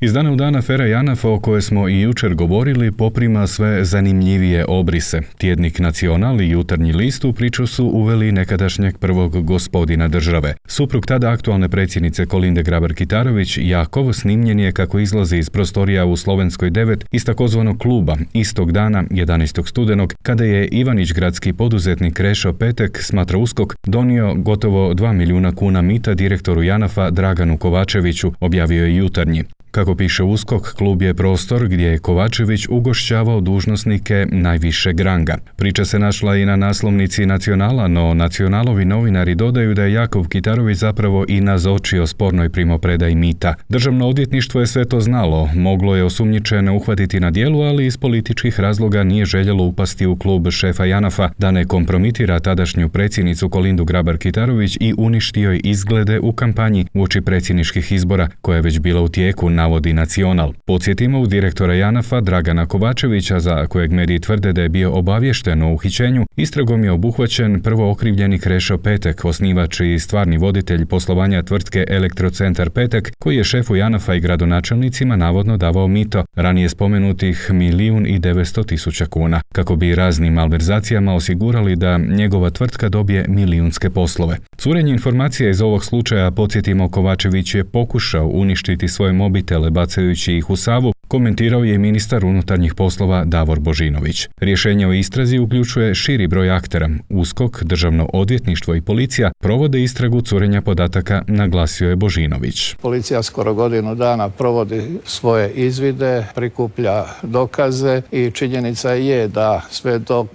Iz dana u dan afera JANAF, o kojoj smo i jučer govorili, poprima sve zanimljivije obrise. Tjednik Nacional i Jutarnji list u priču su uveli nekadašnjeg prvog gospodina države. Suprug tada aktualne predsjednice Kolinde Grabar-Kitarović, Jakov, snimljen je kako izlazi iz prostorija u Slovenskoj 9 iz takozvanog kluba istog dana, 11. studenog, kada je Ivanić-gradski poduzetnik Krešo Petek, smatra USKOK, donio gotovo 2 milijuna kuna mita direktoru JANAF-a Draganu Kovačeviću, objavio je Jutarnji. Kako piše USKOK, klub je prostor gdje je Kovačević ugošćavao dužnosnike najvišeg ranga. Priča se našla i na naslovnici Nacionala, no Nacionalovi novinari dodaju da je Jakov Kitarović zapravo i nazočio spornoj primopredaji mita. Državno odvjetništvo je sve to znalo, moglo je osumnjičene uhvatiti na djelu, ali iz političkih razloga nije željelo upasti u klub šefa JANAF-a da ne kompromitira tadašnju predsjednicu Kolindu Grabar-Kitarović i uništi joj izglede u kampanji uoči predsjedničkih izbora, koja je već bila u tijeku, navodi Nacional. Podsjetimo, u direktora JANAF-a Dragana Kovačevića, za kojeg mediji tvrde da je bio obaviješten o uhićenju, istragom je obuhvaćen prvo okrivljeni Krešo Petek, osnivač i stvarni voditelj poslovanja tvrtke Elektrocentar Petek, koji je šefu JANAF-a i gradonačelnicima navodno davao mito, ranije spomenutih 1.900.000 kuna, kako bi raznim malverzacijama osigurali da njegova tvrtka dobije milijunske poslove. Curenje informacija iz ovog slučaja, podsjetimo, Kovačević je pokušao uništiti svoje mobitele bacajući ih u Savu, komentirao je ministar unutarnjih poslova Davor Božinović. Rješenje o istrazi uključuje širi broj aktera. USKOK, Državno odvjetništvo i policija provode istragu curenja podataka, naglasio je Božinović. Policija skoro godinu dana provodi svoje izvide, prikuplja dokaze i činjenica je da sve dok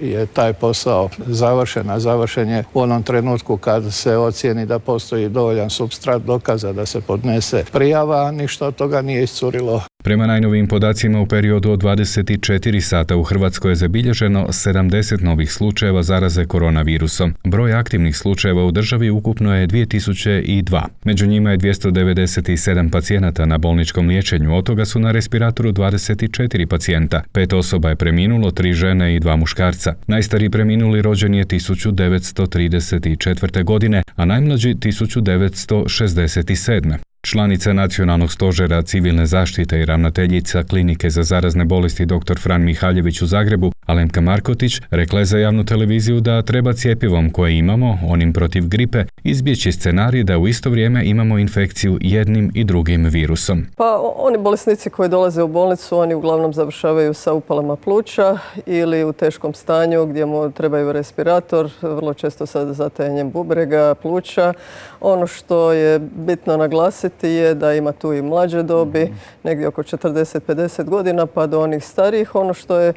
je taj posao završen, a završen je u onom trenutku kad se ocijeni da postoji dovoljan supstrat dokaza da se podnese prijava, ništa od toga nije iscurilo. Prema najnovijim podacima, u periodu od 24 sata u Hrvatskoj je zabilježeno 70 novih slučajeva zaraze koronavirusom. Broj aktivnih slučajeva u državi ukupno je 2002. Među njima je 297 pacijenata na bolničkom liječenju, od toga su na respiratoru 24 pacijenta. 5 osoba je preminulo, 3 žene i 2 muškarca. Najstariji preminuli rođen je 1934. godine, a najmlađi 1967. Članica Nacionalnog stožera civilne zaštite i ravnateljica Klinike za zarazne bolesti dr. Fran Mihaljević u Zagrebu, Alemka Markotić, rekla je za javnu televiziju da treba cjepivom koje imamo, onim protiv gripe, izbjeći scenarij da u isto vrijeme imamo infekciju jednim i drugim virusom. Pa oni bolesnici koji dolaze u bolnicu, oni uglavnom završavaju sa upalama pluća ili u teškom stanju gdje mu trebaju respirator, vrlo često sa zatajanjem bubrega, pluća. Ono što je bitno naglasiti je da ima tu i mlađe dobi, negdje oko 40-50 godina, pa do onih starijih. Ono što je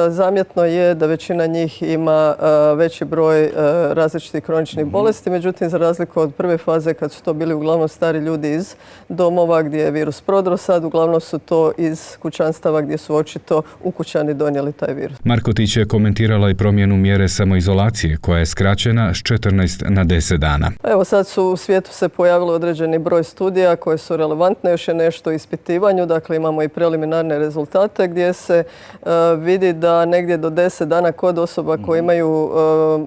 zamjetno je da većina njih ima veći broj različitih kroničnih bolesti, međutim za razliku od prve faze kad su to bili uglavnom stari ljudi iz domova gdje je virus prodro, sad uglavnom su to iz kućanstava gdje su očito ukućani donijeli taj virus. Markotić je komentirala i promjenu mjere samoizolacije koja je skraćena s 14 na 10 dana. Evo sad su u svijetu se pojavili određeni broj studija koje su relevantne, još je nešto u ispitivanju, dakle imamo i preliminarne rezultate gdje se vidi da negdje do 10 dana kod osoba koje imaju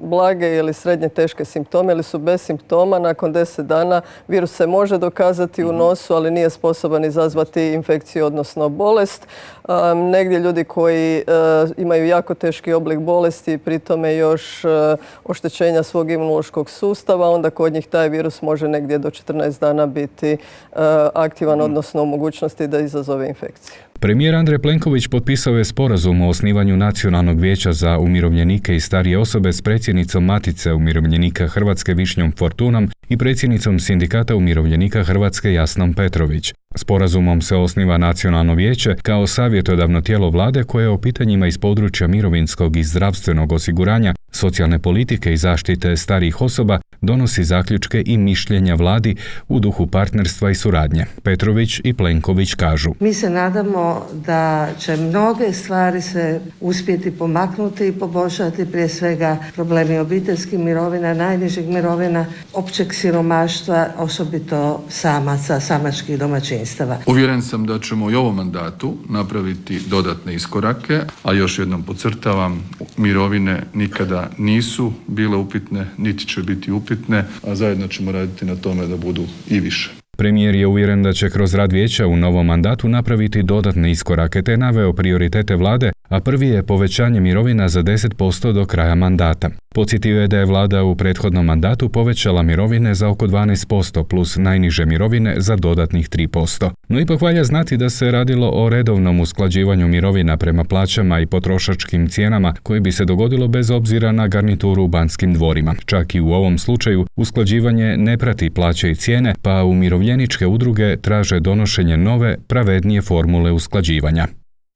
blage ili srednje teške simptome ili su bez simptoma, nakon 10 dana virus se može dokazati u nosu, ali nije sposoban izazvati infekciju, odnosno bolest. Negdje ljudi koji imaju jako teški oblik bolesti, pri tome još oštećenja svog imunološkog sustava, onda kod njih taj virus može negdje do 14 dana biti aktivan, odnosno u mogućnosti da izazove infekciju. Premijer Andrej Plenković potpisao je sporazum o osnivanju Nacionalnog vijeća za umirovljenike i starije osobe s predsjednicom Matice umirovljenika Hrvatske Višnjom Fortunom i predsjednicom Sindikata umirovljenika Hrvatske Jasnom Petrović. Sporazumom se osniva Nacionalno vijeće kao savjetodavno tijelo vlade koje o pitanjima iz područja mirovinskog i zdravstvenog osiguranja, socijalne politike i zaštite starijih osoba donosi zaključke i mišljenja vladi u duhu partnerstva i suradnje. Petrović i Plenković kažu: Mi se nadamo da će mnoge stvari se uspjeti pomaknuti i poboljšati, prije svega problemi obiteljskih mirovina, najnižih mirovina, općeg siromaštva, osobito samaca, samačkih domaćinstava. Uvjeren sam da ćemo i ovom mandatu napraviti dodatne iskorake, a još jednom podcrtavam, mirovine nikada nisu bile upitne, niti će biti upitne, a zajedno ćemo raditi na tome da budu i više. Premijer je uvjeren da će kroz rad vijeća u novom mandatu napraviti dodatne iskorake te naveo prioritete vlade, a prvi je povećanje mirovina za 10% do kraja mandata. Podsjetio je da je vlada u prethodnom mandatu povećala mirovine za oko 12% plus najniže mirovine za dodatnih 3%. No ipak valja znati da se radilo o redovnom usklađivanju mirovina prema plaćama i potrošačkim cijenama koji bi se dogodilo bez obzira na garnituru u Banskim dvorima. Čak i u ovom slučaju usklađivanje ne prati plaće i cijene, pa umirovljeničke udruge traže donošenje nove, pravednije formule usklađivanja.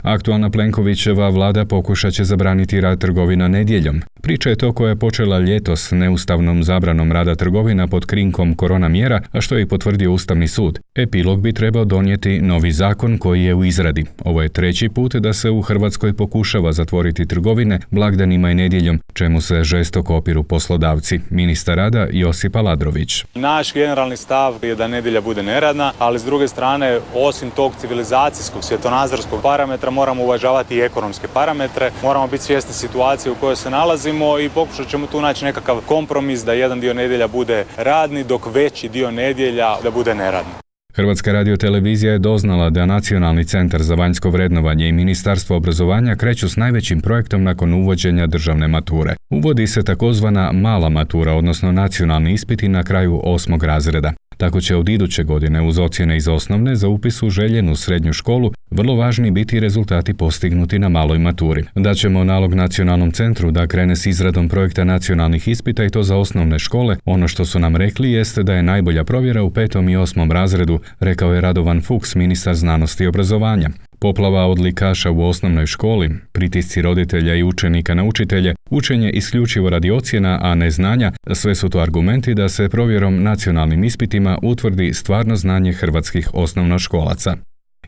Aktualna Plenkovićeva vlada pokušat će zabraniti rad trgovina nedjeljom. Priča je to koja je počela ljetos neustavnom zabranom rada trgovina pod krinkom korona mjera, a što je i potvrdio Ustavni sud. Epilog bi trebao donijeti novi zakon koji je u izradi. Ovo je treći put da se u Hrvatskoj pokušava zatvoriti trgovine blagdanima i nedjeljom, čemu se žestoko opiru poslodavci. Ministar rada Josip Aladrović. Naš generalni stav je da nedjelja bude neradna, ali s druge strane, osim tog civilizacijskog, svjetonazorskog parametra, moramo uvažavati i ekonomske parametre, moramo biti svjesni situacije u kojoj se nalazimo i pokušat ćemo tu naći nekakav kompromis da jedan dio nedjelja bude radni, dok veći dio nedjelja da bude neradni. Hrvatska radiotelevizija je doznala da Nacionalni centar za vanjsko vrednovanje i Ministarstvo obrazovanja kreću s najvećim projektom nakon uvođenja državne mature. Uvodi se takozvana mala matura, odnosno nacionalni ispiti na kraju 8. razreda. Tako će od iduće godine uz ocjene iz osnovne za upis u željenu srednju školu vrlo važni biti rezultati postignuti na maloj maturi. Daćemo nalog Nacionalnom centru da krene s izradom projekta nacionalnih ispita i to za osnovne škole. Ono što su nam rekli jeste da je najbolja provjera u 5. i 8. razredu, rekao je Radovan Fuchs, ministar znanosti i obrazovanja. Poplava odlikaša u osnovnoj školi, pritisci roditelja i učenika na učitelje, učenje isključivo radi ocjena, a ne znanja, sve su to argumenti da se provjerom nacionalnim ispitima utvrdi stvarno znanje hrvatskih osnovnoškolaca.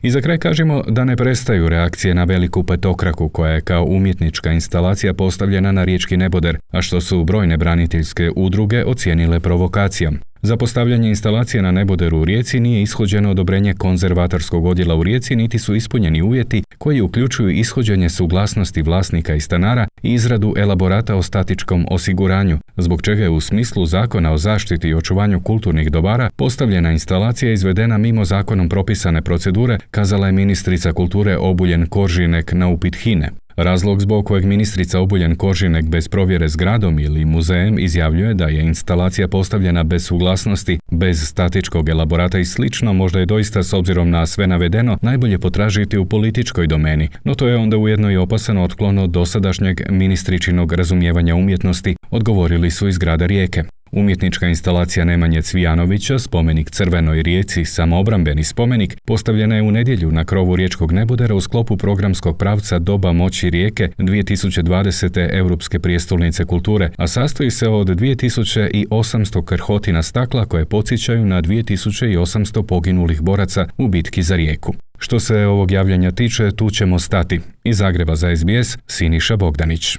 I za kraj kažemo da ne prestaju reakcije na veliku petokraku koja je kao umjetnička instalacija postavljena na riječki neboder, a što su brojne braniteljske udruge ocijenile provokacijom. Za postavljanje instalacije na neboderu u Rijeci nije ishođeno odobrenje konzervatorskog odjela u Rijeci, niti su ispunjeni uvjeti koji uključuju ishođenje suglasnosti vlasnika i stanara i izradu elaborata o statičkom osiguranju, zbog čega je u smislu Zakona o zaštiti i očuvanju kulturnih dobara postavljena instalacija izvedena mimo zakonom propisane procedure, kazala je ministrica kulture Obuljen Koržinek na upit HINA-e. Razlog zbog kojeg ministrica Obuljen Koržinek bez provjere zgradom ili muzejem izjavljuje da je instalacija postavljena bez suglasnosti, bez statičkog elaborata i slično, možda je doista s obzirom na sve navedeno najbolje potražiti u političkoj domeni, no to je onda ujedno i opasan otklon od dosadašnjeg ministričinog razumijevanja umjetnosti, odgovorili su iz grada Rijeke. Umjetnička instalacija Nemanje Cvijanovića, spomenik Crvenoj Rijeci, samoobrambeni spomenik, postavljena je u nedjelju na krovu riječkog nebodera u sklopu programskog pravca Doba moći Rijeke 2020. Europske prijestolnice kulture, a sastoji se od 2800 krhotina stakla koje podsjećaju na 2800 poginulih boraca u bitki za Rijeku. Što se ovog javljanja tiče, tu ćemo stati. Iz Zagreba za SBS, Siniša Bogdanić.